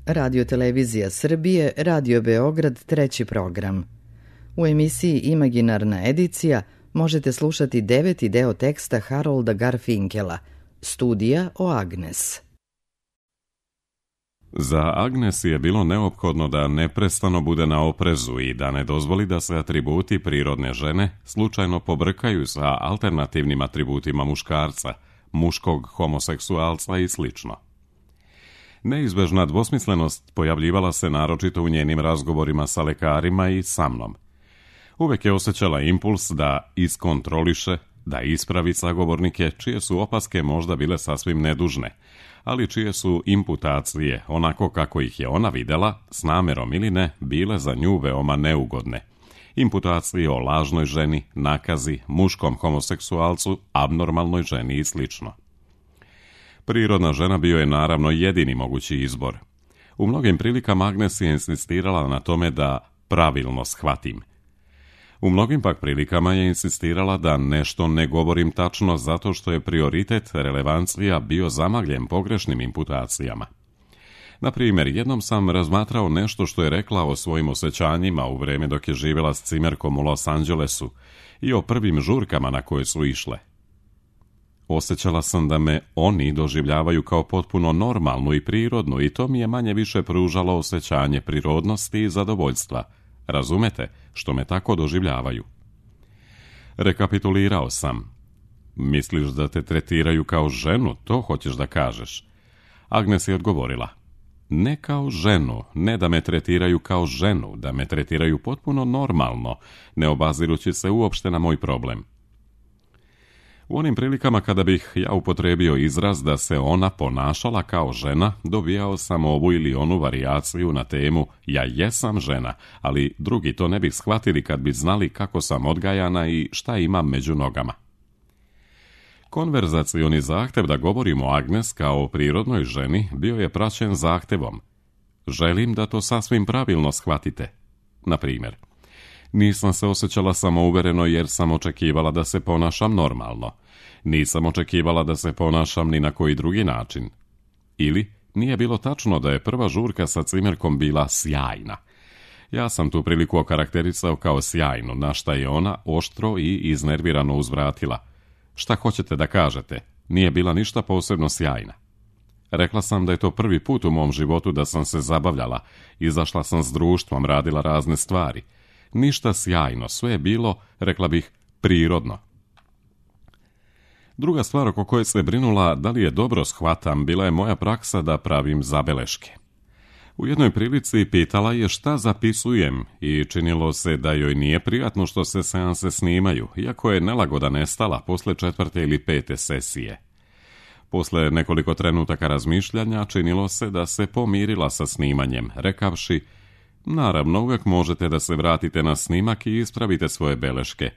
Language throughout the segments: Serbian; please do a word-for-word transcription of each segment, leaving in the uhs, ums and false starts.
Radio Televizija Srbije, Radio Beograd, treći program. U emisiji Imaginarna edicija možete slušati deveti deo teksta Harolda Garfinkela, Studija o Agnes. Za Agnes je bilo neophodno da neprestano bude na oprezu i da ne dozvoli da se atributi prirodne žene slučajno pobrkaju sa alternativnim atributima muškarca, muškog homoseksualca i slično. Neizbežna dvosmislenost pojavljivala se naročito u njenim razgovorima sa lekarima i sa mnom. Uvek je osjećala impuls da iskontroliše, da ispravi sagovornike čije su opaske možda bile sasvim nedužne, ali čije su imputacije, onako kako ih je ona videla, s namerom ili ne, bile za nju veoma neugodne. Imputacije o lažnoj ženi, nakazi, muškom homoseksualcu, abnormalnoj ženi i slično. Prirodna žena bio je naravno jedini mogući izbor. U mnogim prilikama Agnes je insistirala na tome da pravilno shvatim. U mnogim pak prilikama je insistirala da nešto ne govorim tačno zato što je prioritet relevancija bio zamagljen pogrešnim imputacijama. Na primjer, jednom sam razmatrao nešto što je rekla o svojim osjećanjima u vreme dok je živjela s cimerkom u Los Angelesu i o prvim žurkama na koje su išle. Osjećala sam da me oni doživljavaju kao potpuno normalnu i prirodnu i to mi je manje više pružalo osjećanje prirodnosti i zadovoljstva. Razumete, što me tako doživljavaju. Rekapitulirao sam. Misliš da te tretiraju kao ženu, to hoćeš da kažeš? Agnes je odgovorila. Ne kao ženu, ne da me tretiraju kao ženu, da me tretiraju potpuno normalno, ne obazirući se uopšte na moj problem. U onim prilikama kada bih ja upotrebio izraz da se ona ponašala kao žena, dobijao sam ovu ili onu varijaciju na temu ja jesam žena, ali drugi to ne bi shvatili kad bi znali kako sam odgajana i šta imam među nogama. Konverzacioni zahtev da govorimo o Agnes kao o prirodnoj ženi bio je praćen zahtevom. Želim da to sasvim pravilno shvatite. Na primjer, nisam se osjećala samouvereno jer sam očekivala da se ponašam normalno. Nisam očekivala da se ponašam ni na koji drugi način. Ili, nije bilo tačno da je prva žurka sa cimerkom bila sjajna. Ja sam tu priliku okarakterisao kao sjajnu, na šta je ona oštro i iznervirano uzvratila. Šta hoćete da kažete? Nije bila ništa posebno sjajna. Rekla sam da je to prvi put u mom životu da sam se zabavljala, izašla sam s društvom, radila razne stvari. Ništa sjajno, sve je bilo, rekla bih, prirodno. Druga stvar oko koje se brinula da li je dobro shvatam bila je moja praksa da pravim zabeleške. U jednoj prilici pitala je šta zapisujem i činilo se da joj nije prijatno što se seanse snimaju, iako je nelagoda nestala posle četvrte ili pete sesije. Posle nekoliko trenutaka razmišljanja činilo se da se pomirila sa snimanjem, rekavši: naravno, uvijek možete da se vratite na snimak i ispravite svoje beleške.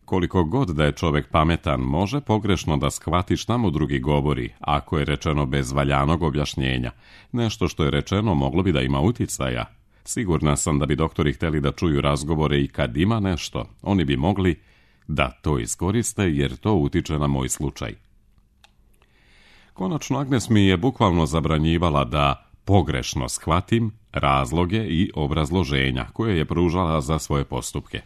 Koliko god da je čovjek pametan, može pogrešno da shvati šta mu drugi govori, ako je rečeno bez valjanog objašnjenja. Nešto što je rečeno moglo bi da ima uticaja. Sigurna sam da bi doktori htjeli da čuju razgovore i kad ima nešto, oni bi mogli da to iskoriste jer to utiče na moj slučaj. Konačno, Agnes mi je bukvalno zabranjivala da pogrešno shvatim razloge i obrazloženja koje je pružala za svoje postupke.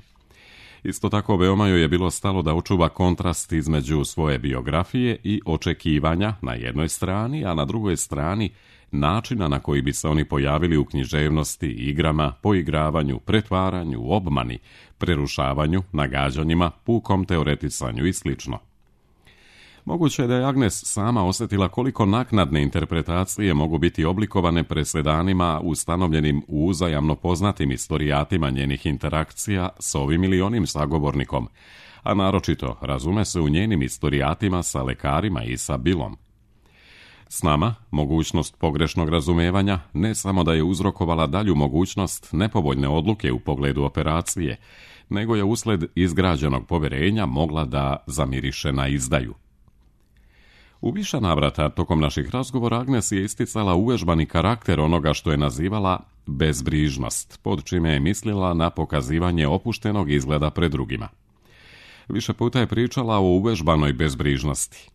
Isto tako veoma joj je bilo stalo da očuva kontrast između svoje biografije i očekivanja na jednoj strani, a na drugoj strani načina na koji bi se oni pojavili u književnosti, igrama, poigravanju, pretvaranju, obmani, prerušavanju, nagađanjima, pukom teoretisanju i slično. Moguće je da je Agnes sama osjetila koliko naknadne interpretacije mogu biti oblikovane presedanima ustanovljenim u uzajamno poznatim istorijatima njenih interakcija s ovim ili onim sagovornikom, a naročito, razume se, u njenim istorijatima sa lekarima i sa Billom. S nama, mogućnost pogrešnog razumevanja ne samo da je uzrokovala dalju mogućnost nepovoljne odluke u pogledu operacije, nego je usled izgrađenog poverenja mogla da zamiriše na izdaju. U više navrata tokom naših razgovora Agnes je isticala uvežbani karakter onoga što je nazivala bezbrižnost, pod čime je mislila na pokazivanje opuštenog izgleda pred drugima. Više puta je pričala o uvežbanoj bezbrižnosti.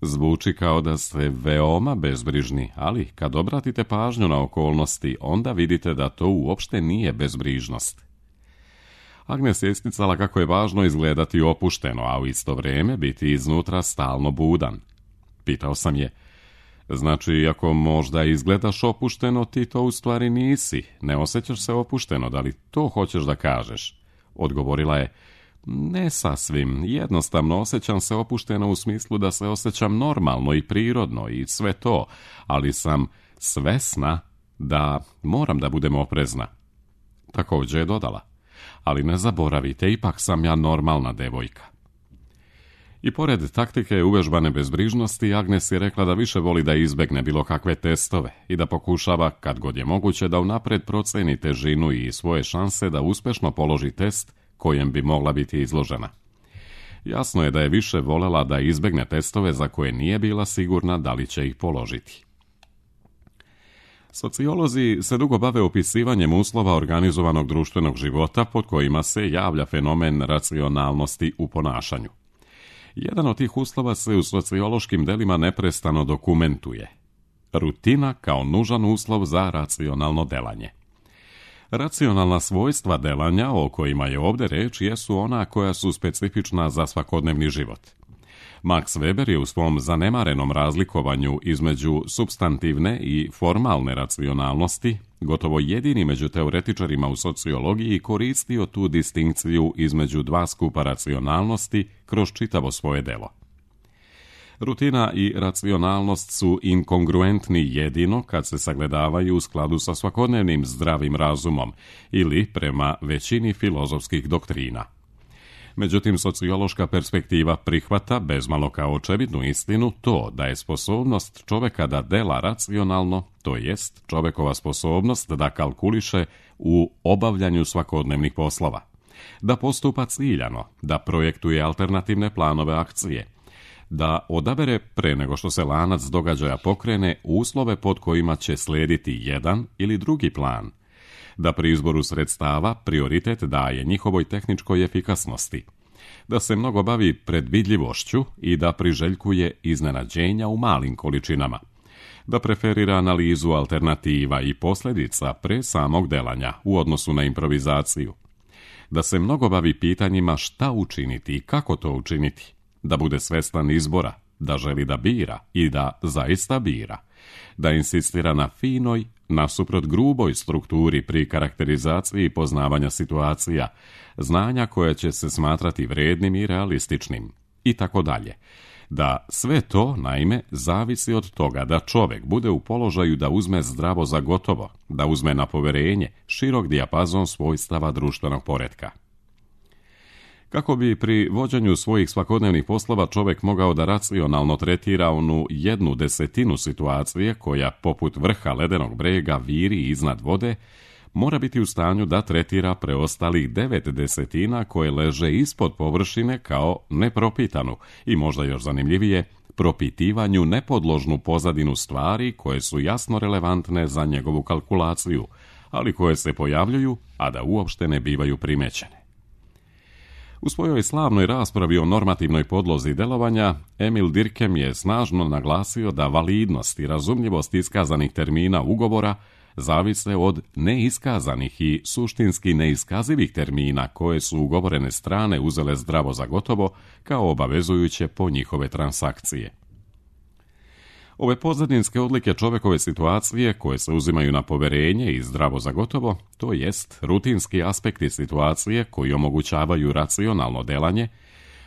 Zvuči kao da ste veoma bezbrižni, ali kad obratite pažnju na okolnosti, onda vidite da to uopšte nije bezbrižnost. Agnes je isticala kako je važno izgledati opušteno, a u isto vrijeme biti iznutra stalno budan. Pitao sam je, znači ako možda izgledaš opušteno, ti to u stvari nisi, ne osjećaš se opušteno, da li to hoćeš da kažeš? Odgovorila je, ne sasvim, jednostavno osjećam se opušteno u smislu da se osjećam normalno i prirodno i sve to, ali sam svesna da moram da budem oprezna. Također je dodala, ali ne zaboravite, ipak sam ja normalna devojka. I pored taktike uvežbane bezbrižnosti, Agnes je rekla da više voli da izbegne bilo kakve testove i da pokušava, kad god je moguće, da unapred proceni težinu i svoje šanse da uspješno položi test kojem bi mogla biti izložena. Jasno je da je više volela da izbegne testove za koje nije bila sigurna da li će ih položiti. Sociolozi se dugo bave opisivanjem uslova organizovanog društvenog života pod kojima se javlja fenomen racionalnosti u ponašanju. Jedan od tih uslova se u sociološkim delima neprestano dokumentuje. Rutina kao nužan uslov za racionalno delanje. Racionalna svojstva delanja o kojima je ovdje reč jesu ona koja su specifična za svakodnevni život. Max Weber je u svom zanemarenom razlikovanju između supstantivne i formalne racionalnosti gotovo jedini među teoretičarima u sociologiji koristio tu distinkciju između dva skupa racionalnosti kroz čitavo svoje delo. Rutina i racionalnost su inkongruentni jedino kad se sagledavaju u skladu sa svakodnevnim zdravim razumom ili prema većini filozofskih doktrina. Međutim, sociološka perspektiva prihvata, bezmalo kao očevidnu istinu, to da je sposobnost čoveka da dela racionalno, to jest čovekova sposobnost da kalkuliše u obavljanju svakodnevnih poslova, da postupa ciljano, da projektuje alternativne planove akcije, da odabere pre nego što se lanac događaja pokrene uslove pod kojima će slijediti jedan ili drugi plan, da pri izboru sredstava prioritet daje njihovoj tehničkoj efikasnosti, da se mnogo bavi predvidljivošću i da priželjkuje iznenađenja u malim količinama, da preferira analizu alternativa i posljedica pre samog delanja u odnosu na improvizaciju, da se mnogo bavi pitanjima šta učiniti i kako to učiniti, da bude svestan izbora, da želi da bira i da zaista bira, da insistira na finoj, nasuprot gruboj strukturi pri karakterizaciji poznavanja situacija, znanja koje će se smatrati vrednim i realističnim, i tako dalje. Da sve to, naime, zavisi od toga da čovjek bude u položaju da uzme zdravo za gotovo, da uzme na poverenje širok dijapazon svojstava društvenog poretka. Kako bi pri vođenju svojih svakodnevnih poslova čovjek mogao da racionalno tretira onu jednu desetinu situacije koja poput vrha ledenog brega viri iznad vode, mora biti u stanju da tretira preostalih devet desetina koje leže ispod površine kao nepropitanu i možda još zanimljivije, propitivanju nepodložnu pozadinu stvari koje su jasno relevantne za njegovu kalkulaciju, ali koje se pojavljuju, a da uopšte ne bivaju primećene. U svojoj slavnoj raspravi o normativnoj podlozi delovanja, Emil Durkheim je snažno naglasio da validnost i razumljivost iskazanih termina ugovora zavise od neiskazanih i suštinski neiskazivih termina koje su ugovorene strane uzele zdravo za gotovo kao obavezujuće po njihove transakcije. Ove pozadinske odlike čovekove situacije koje se uzimaju na poverenje i zdravo za gotovo, to jest rutinski aspekti situacije koji omogućavaju racionalno delanje,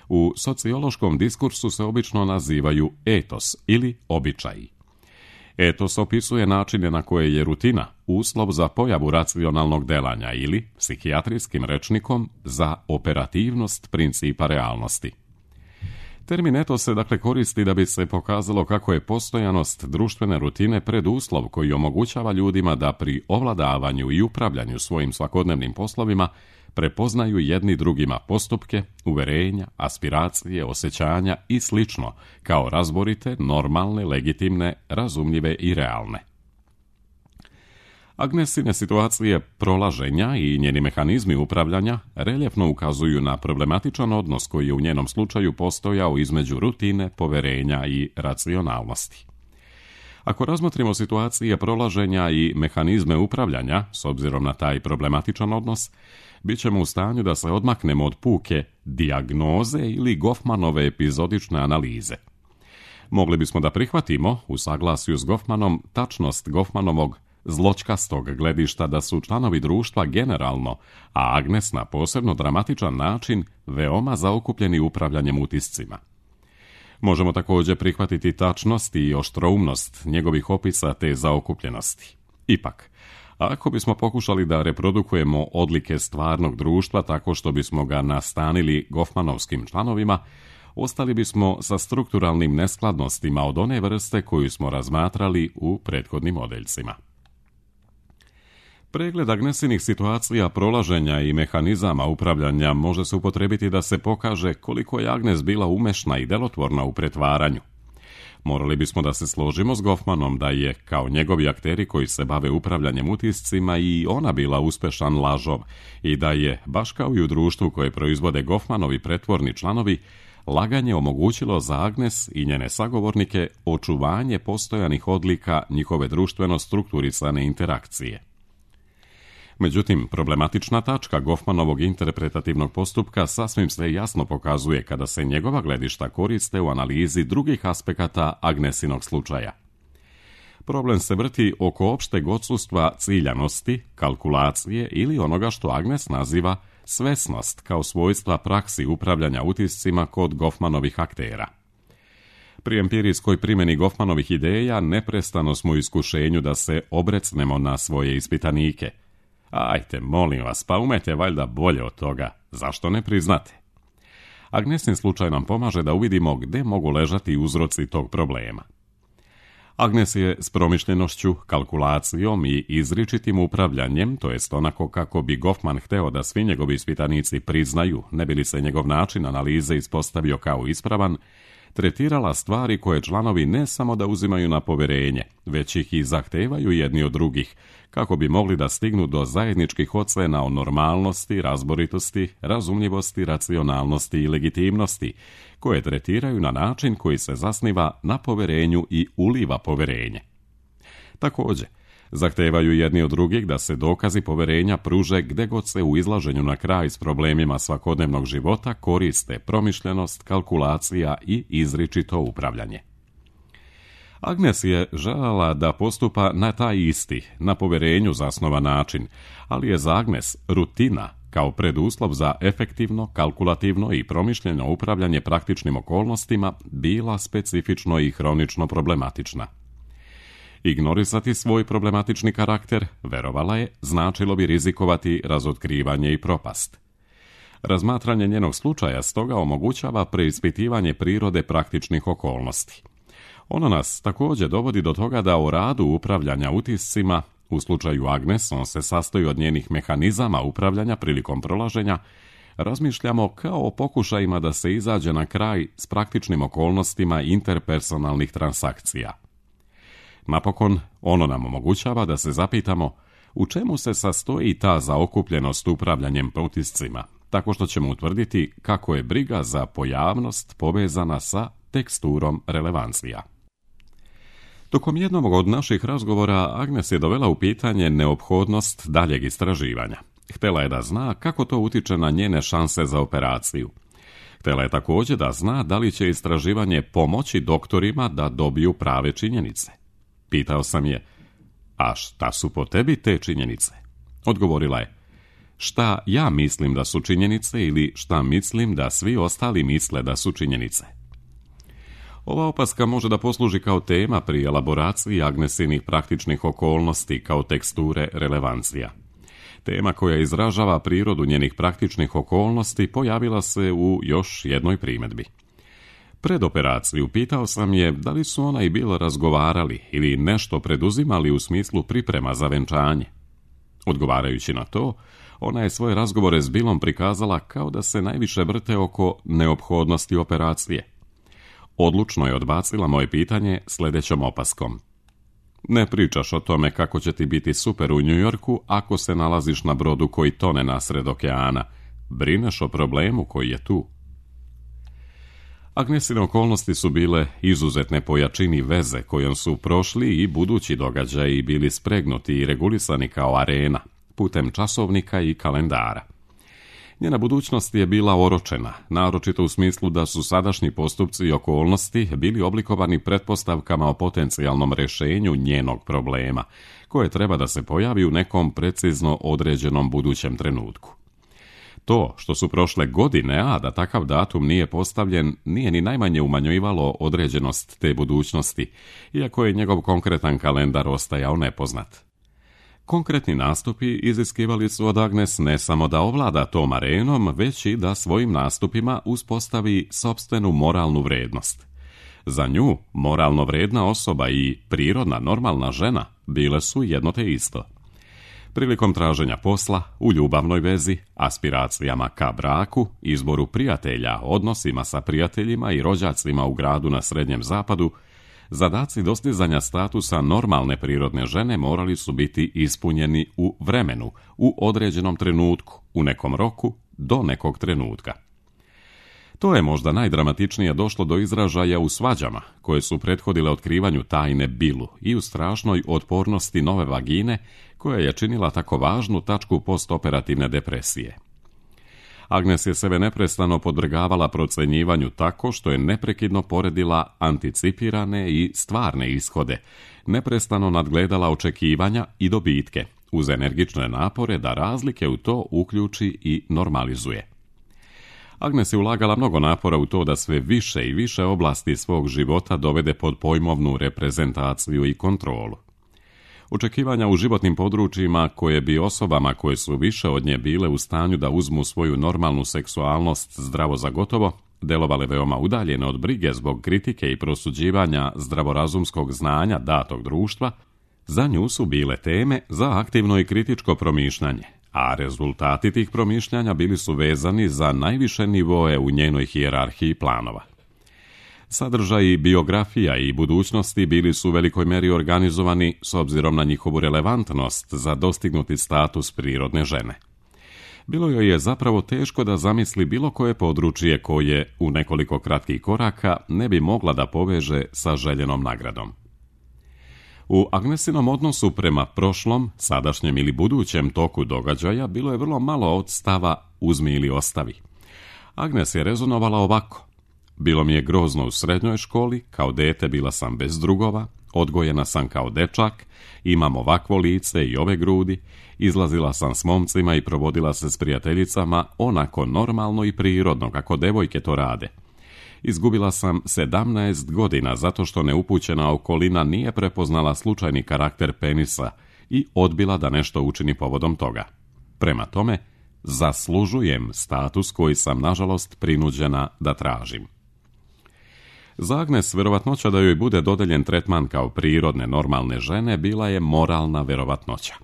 u sociološkom diskursu se obično nazivaju etos ili običaji. Etos opisuje načine na koje je rutina uslov za pojavu racionalnog delanja ili, psihijatrijskim rečnikom, za operativnost principa realnosti. Termin etos se dakle koristi da bi se pokazalo kako je postojanost društvene rutine preduslov koji omogućava ljudima da pri ovladavanju i upravljanju svojim svakodnevnim poslovima prepoznaju jedni drugima postupke, uverenja, aspiracije, osjećanja i slično, kao razborite, normalne, legitimne, razumljive i realne. Agnesine situacije prolaženja i njeni mehanizmi upravljanja reljefno ukazuju na problematičan odnos koji je u njenom slučaju postojao između rutine, poverenja i racionalnosti. Ako razmotrimo situacije prolaženja i mehanizme upravljanja, s obzirom na taj problematičan odnos, bit ćemo u stanju da se odmaknemo od puke dijagnoze ili Goffmanove epizodične analize. Mogli bismo da prihvatimo, u saglasju s Goffmanom, tačnost Goffmanovog zločkastog gledišta da su članovi društva generalno, a Agnes na posebno dramatičan način, veoma zaokupljeni upravljanjem utiscima. Možemo također prihvatiti tačnost i oštroumnost njegovih opisa te zaokupljenosti. Ipak, ako bismo pokušali da reprodukujemo odlike stvarnog društva tako što bismo ga nastanili Goffmanovskim članovima, ostali bismo sa strukturalnim neskladnostima od one vrste koju smo razmatrali u prethodnim odeljcima. Pregled Agnesinih situacija prolaženja i mehanizama upravljanja može se upotrebiti da se pokaže koliko je Agnes bila umešna i delotvorna u pretvaranju. Morali bismo da se složimo s Goffmanom da je, kao njegovi akteri koji se bave upravljanjem utiscima, i ona bila uspešan lažov i da je, baš kao i u društvu koje proizvode Goffmanovi pretvorni članovi, laganje omogućilo za Agnes i njene sagovornike očuvanje postojanih odlika njihove društveno strukturisane interakcije. Međutim, problematična tačka Goffmanovog interpretativnog postupka sasvim se jasno pokazuje kada se njegova gledišta koriste u analizi drugih aspekata Agnesinog slučaja. Problem se vrti oko opšteg odsustva ciljanosti, kalkulacije ili onoga što Agnes naziva svesnost kao svojstva praksi upravljanja utiscima kod Goffmanovih aktera. Pri empirijskoj primjeni Goffmanovih ideja neprestano smo u iskušenju da se obrecnemo na svoje ispitanike. Ajte, molim vas, pa umete valjda bolje od toga, zašto ne priznate? Agnesin slučaj nam pomaže da uvidimo gde mogu ležati uzroci tog problema. Agnes je s promišljenošću, kalkulacijom i izričitim upravljanjem, to jest onako kako bi Goffman hteo da svi njegovi ispitanici priznaju, ne bi li se njegov način analize ispostavio kao ispravan, tretirala stvari koje članovi ne samo da uzimaju na poverenje, već ih i zahtevaju jedni od drugih, kako bi mogli da stignu do zajedničkih ocena o normalnosti, razboritosti, razumljivosti, racionalnosti i legitimnosti, koje tretiraju na način koji se zasniva na poverenju i uliva poverenje. Također, zahtevaju jedni od drugih da se dokazi poverenja pruže gde god se u izlaženju na kraj s problemima svakodnevnog života koriste promišljenost, kalkulacija i izričito upravljanje. Agnes je željela da postupa na taj isti, na poverenju zasnovan način, ali je za Agnes rutina kao preduslov za efektivno, kalkulativno i promišljeno upravljanje praktičnim okolnostima bila specifično i hronično problematična. Ignorisati svoj problematični karakter, verovala je, značilo bi rizikovati razotkrivanje i propast. Razmatranje njenog slučaja stoga omogućava preispitivanje prirode praktičnih okolnosti. Ono nas također dovodi do toga da o radu upravljanja utiscima, u slučaju Agnes on se sastoji od njenih mehanizama upravljanja prilikom prolaženja, razmišljamo kao o pokušajima da se izađe na kraj s praktičnim okolnostima interpersonalnih transakcija. Napokon, ono nam omogućava da se zapitamo u čemu se sastoji ta zaokupljenost upravljanjem utiscima, tako što ćemo utvrditi kako je briga za pojavnost povezana sa teksturom relevancija. Tokom jednog od naših razgovora Agnes je dovela u pitanje neophodnost daljeg istraživanja. Htela je da zna kako to utiče na njene šanse za operaciju. Htela je također da zna da li će istraživanje pomoći doktorima da dobiju prave činjenice. Pitao sam je, a šta su po tebi te činjenice? Odgovorila je, šta ja mislim da su činjenice ili šta mislim da svi ostali misle da su činjenice. Ova opaska može da posluži kao tema pri elaboraciji Agnesinih praktičnih okolnosti kao teksture relevancija. Tema koja izražava prirodu njenih praktičnih okolnosti pojavila se u još jednoj primjedbi. Pred operaciju pitao sam je da li su ona i Bill razgovarali ili nešto preduzimali u smislu priprema za venčanje. Odgovarajući na to, ona je svoje razgovore s Billom prikazala kao da se najviše vrte oko neophodnosti operacije. Odlučno je odbacila moje pitanje sljedećom opaskom. Ne pričaš o tome kako će ti biti super u New Yorku ako se nalaziš na brodu koji tone nasred okeana. Brineš o problemu koji je tu. Agnesine okolnosti su bile izuzetne po jačini veze kojom su prošli i budući događaji bili spregnuti i regulisani kao arena, putem časovnika i kalendara. Njena budućnost je bila oročena, naročito u smislu da su sadašnji postupci i okolnosti bili oblikovani pretpostavkama o potencijalnom rješenju njenog problema, koje treba da se pojavi u nekom precizno određenom budućem trenutku. To što su prošle godine, a da takav datum nije postavljen, nije ni najmanje umanjivalo određenost te budućnosti, iako je njegov konkretan kalendar ostajao nepoznat. Konkretni nastupi iziskivali su od Agnes ne samo da ovlada tom arenom, već i da svojim nastupima uspostavi sopstvenu moralnu vrednost. Za nju, moralno vredna osoba i prirodna normalna žena bile su jedno te isto. Prilikom traženja posla, u ljubavnoj vezi, aspiracijama ka braku, izboru prijatelja, odnosima sa prijateljima i rođacima u gradu na Srednjem zapadu, zadaci dostizanja statusa normalne prirodne žene morali su biti ispunjeni u vremenu, u određenom trenutku, u nekom roku, do nekog trenutka. To je možda najdramatičnije došlo do izražaja u svađama, koje su prethodile otkrivanju tajne Billu i u strašnoj otpornosti nove vagine, koja je činila tako važnu tačku postoperativne depresije. Agnes je sebe neprestano podvrgavala procenjivanju tako što je neprekidno poredila anticipirane i stvarne ishode, neprestano nadgledala očekivanja i dobitke, uz energične napore da razlike u to uključi i normalizuje. Agnes je ulagala mnogo napora u to da sve više i više oblasti svog života dovede pod pojmovnu reprezentaciju i kontrolu. Očekivanja u životnim područjima koje bi osobama koje su više od nje bile u stanju da uzmu svoju normalnu seksualnost zdravo za gotovo, delovale veoma udaljene od brige zbog kritike i prosuđivanja zdravorazumskog znanja datog društva, za nju su bile teme za aktivno i kritičko promišljanje, a rezultati tih promišljanja bili su vezani za najviše nivoe u njenoj hijerarhiji planova. Sadržaji biografija i budućnosti bili su u velikoj meri organizovani s obzirom na njihovu relevantnost za dostignuti status prirodne žene. Bilo joj je zapravo teško da zamisli bilo koje područje koje, u nekoliko kratkih koraka, ne bi mogla da poveže sa željenom nagradom. U Agnesinom odnosu prema prošlom, sadašnjem ili budućem toku događaja bilo je vrlo malo od stava uzmi ili ostavi. Agnes je rezonovala ovako. Bilo mi je grozno u srednjoj školi, kao dete bila sam bez drugova, odgojena sam kao dečak, imam ovakvo lice i ove grudi, izlazila sam s momcima i provodila se s prijateljicama onako normalno i prirodno kako devojke to rade. Izgubila sam sedamnaest godina zato što neupućena okolina nije prepoznala slučajni karakter penisa i odbila da nešto učini povodom toga. Prema tome, zaslužujem status koji sam nažalost prinuđena da tražim. Za Agnes verovatnoća da joj bude dodeljen tretman kao prirodne normalne žene bila je moralna verovatnoća.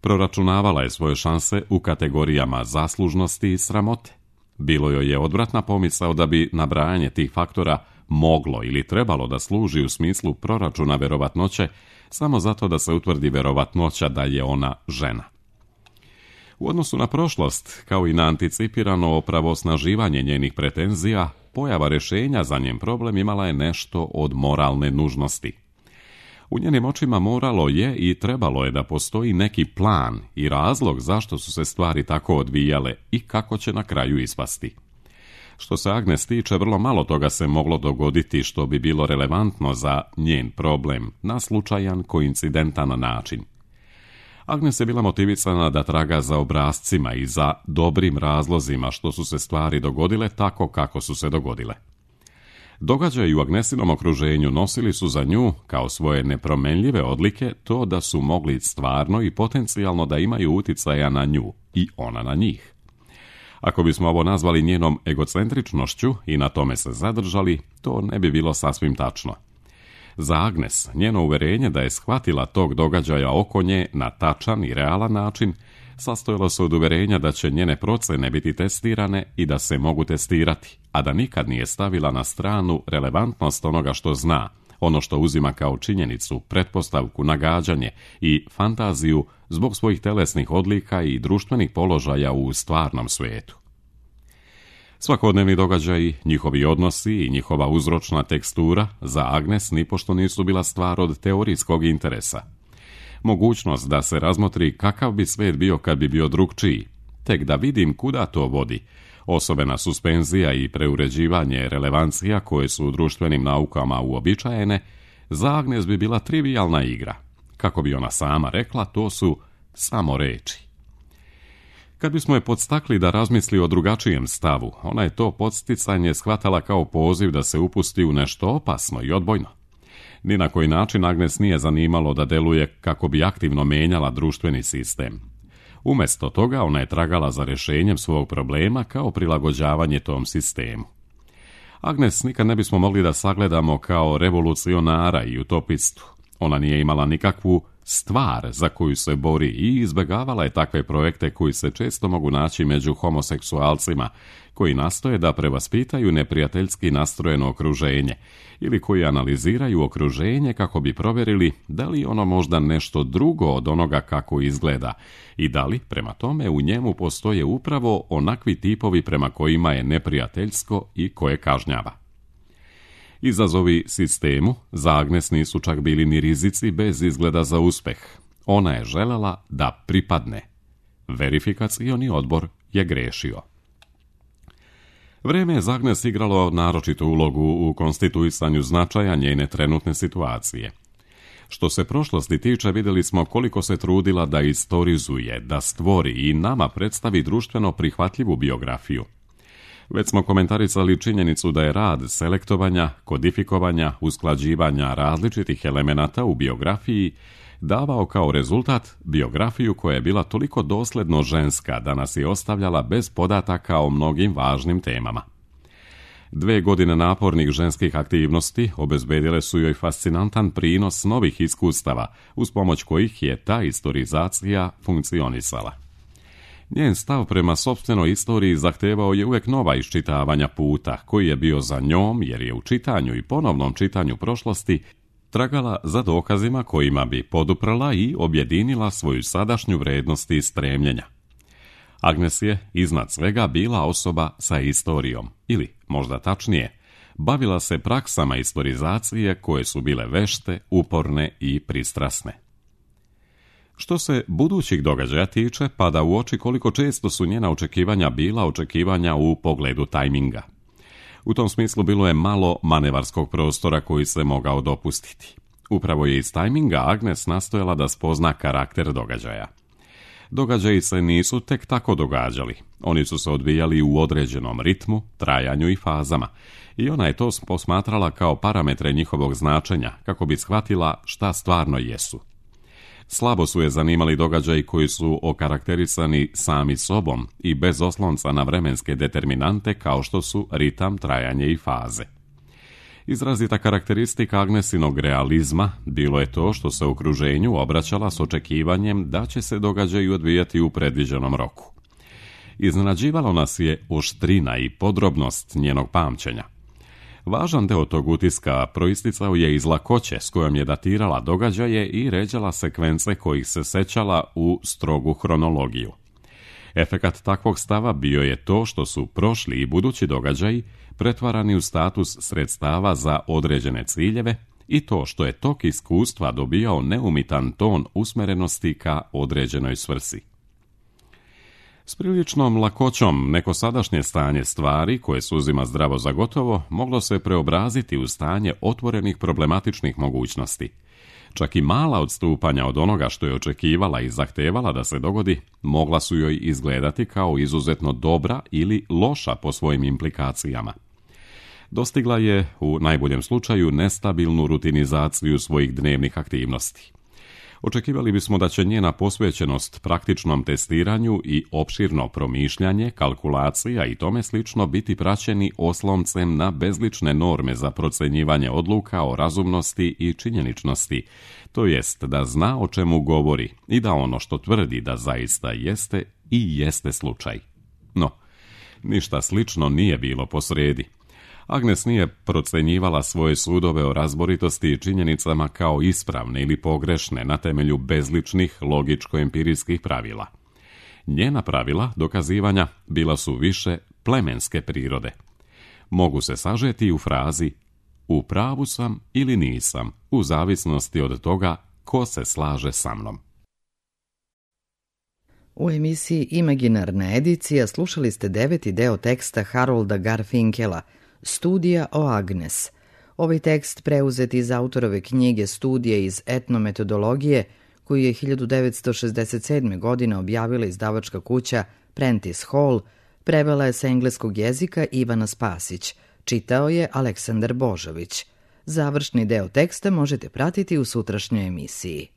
Proračunavala je svoje šanse u kategorijama zaslužnosti i sramote. Bilo joj je odvratna pomisao da bi nabrajanje tih faktora moglo ili trebalo da služi u smislu proračuna verovatnoće samo zato da se utvrdi verovatnoća da je ona žena. U odnosu na prošlost, kao i na anticipirano opravosnaživanje njenih pretenzija, pojava rješenja za njen problem imala je nešto od moralne nužnosti. U njenim očima moralo je i trebalo je da postoji neki plan i razlog zašto su se stvari tako odvijale i kako će na kraju ispasti. Što se Agnes tiče, vrlo malo toga se moglo dogoditi što bi bilo relevantno za njen problem na slučajan, koincidentan način. Agnes je bila motivisana da traga za obrascima i za dobrim razlozima što su se stvari dogodile tako kako su se dogodile. Događaji u Agnesinom okruženju nosili su za nju, kao svoje nepromenljive odlike, to da su mogli stvarno i potencijalno da imaju uticaja na nju i ona na njih. Ako bismo ovo nazvali njenom egocentričnošću i na tome se zadržali, to ne bi bilo sasvim tačno. Za Agnes, njeno uverenje da je shvatila tog događaja oko nje na tačan i realan način, sastojalo se od uverenja da će njene procene biti testirane i da se mogu testirati, a da nikad nije stavila na stranu relevantnost onoga što zna, ono što uzima kao činjenicu, pretpostavku, nagađanje i fantaziju zbog svojih telesnih odlika i društvenih položaja u stvarnom svijetu. Svakodnevni događaji, njihovi odnosi i njihova uzročna tekstura za Agnes nipošto nisu bila stvar od teorijskog interesa. Mogućnost da se razmotri kakav bi svijet bio kad bi bio drukčiji, tek da vidim kuda to vodi, osobena suspenzija i preuređivanje relevancija koje su u društvenim naukama uobičajene, za Agnes bi bila trivijalna igra. Kako bi ona sama rekla, to su samo reči. Kad bismo je podstakli da razmisli o drugačijem stavu, ona je to podsticanje shvatala kao poziv da se upusti u nešto opasno i odbojno. Ni na koji način Agnes nije zanimalo da deluje kako bi aktivno menjala društveni sistem. Umjesto toga ona je tragala za rješenjem svog problema kao prilagođavanje tom sistemu. Agnes nikad ne bismo mogli da sagledamo kao revolucionara i utopistu. Ona nije imala nikakvu stvar za koju se bori i izbjegavala je takve projekte koji se često mogu naći među homoseksualcima, koji nastoje da prevaspitaju neprijateljski nastrojeno okruženje ili koji analiziraju okruženje kako bi provjerili da li ono možda nešto drugo od onoga kako izgleda i da li, prema tome, u njemu postoje upravo onakvi tipovi prema kojima je neprijateljsko i koje kažnjava. Izazovi sistemu za Agnes nisu čak bili ni rizici bez izgleda za uspjeh. Ona je željela da pripadne. Verifikacioni odbor je grešio. Vrijeme je za Agnes igralo naročitu ulogu u konstituisanju značaja njene trenutne situacije. Što se prošlosti tiče, vidjeli smo koliko se trudila da istorizuje, da stvori i nama predstavi društveno prihvatljivu biografiju. Već smo komentarisali činjenicu da je rad selektovanja, kodifikovanja, usklađivanja različitih elemenata u biografiji davao kao rezultat biografiju koja je bila toliko dosljedno ženska da nas je ostavljala bez podataka o mnogim važnim temama. Dve godine napornih ženskih aktivnosti obezbedile su joj fascinantan prinos novih iskustava, uz pomoć kojih je ta istorizacija funkcionisala. Njen stav prema sopstvenoj istoriji zahtevao je uvijek nova iščitavanja puta, koji je bio za njom jer je u čitanju i ponovnom čitanju prošlosti tragala za dokazima kojima bi poduprla i objedinila svoju sadašnju vrednost i stremljenja. Agnes je iznad svega bila osoba sa istorijom, ili, možda tačnije, bavila se praksama istorizacije koje su bile vešte, uporne i pristrasne. Što se budućih događaja tiče, pada u oči koliko često su njena očekivanja bila očekivanja u pogledu tajminga. U tom smislu bilo je malo manevarskog prostora koji se mogao dopustiti. Upravo je iz tajminga Agnes nastojala da spozna karakter događaja. Događaji se nisu tek tako događali. Oni su se odvijali u određenom ritmu, trajanju i fazama. I ona je to posmatrala kao parametre njihovog značenja, kako bi shvatila šta stvarno jesu. Slabo su je zanimali događaji koji su okarakterisani sami sobom i bez oslonca na vremenske determinante kao što su ritam, trajanje i faze. Izrazita karakteristika Agnesinog realizma bilo je to što se u okruženju obraćala s očekivanjem da će se događaji odvijati u predviđenom roku. Iznenađivalo nas je oštrina i podrobnost njenog pamćenja. Važan deo tog utiska proisticao je iz lakoće s kojom je datirala događaje i ređala sekvence kojih se sećala u strogu hronologiju. Efekat takvog stava bio je to što su prošli i budući događaji pretvarani u status sredstava za određene ciljeve i to što je tok iskustva dobijao neumitan ton usmerenosti ka određenoj svrsi. S priličnom lakoćom neko sadašnje stanje stvari, koje se uzima zdravo za gotovo, moglo se preobraziti u stanje otvorenih problematičnih mogućnosti. Čak i mala odstupanja od onoga što je očekivala i zahtevala da se dogodi, mogla su joj izgledati kao izuzetno dobra ili loša po svojim implikacijama. Dostigla je, u najboljem slučaju, nestabilnu rutinizaciju svojih dnevnih aktivnosti. Očekivali bismo da će njena posvećenost praktičnom testiranju i opširno promišljanje, kalkulacija i tome slično biti praćeni osloncem na bezlične norme za procenjivanje odluka o razumnosti i činjeničnosti, to jest da zna o čemu govori i da ono što tvrdi da zaista jeste i jeste slučaj. No, ništa slično nije bilo posredi. Agnes nije procenjivala svoje sudove o razboritosti i činjenicama kao ispravne ili pogrešne na temelju bezličnih logičko-empirijskih pravila. Njena pravila dokazivanja bila su više plemenske prirode. Mogu se sažeti u frazi u pravu sam ili nisam, u zavisnosti od toga ko se slaže sa mnom. U emisiji Imaginarna edicija slušali ste deveti deo teksta Harolda Garfinkela, Studija o Agnes. Ovaj tekst preuzet iz autorove knjige Studije iz etnometodologije, koju je hiljadu devetsto šezdeset sedme. godine objavila izdavačka kuća Prentice Hall, prevela je sa engleskog jezika Ivana Spasić, čitao je Aleksandar Božović. Završni deo teksta možete pratiti u sutrašnjoj emisiji.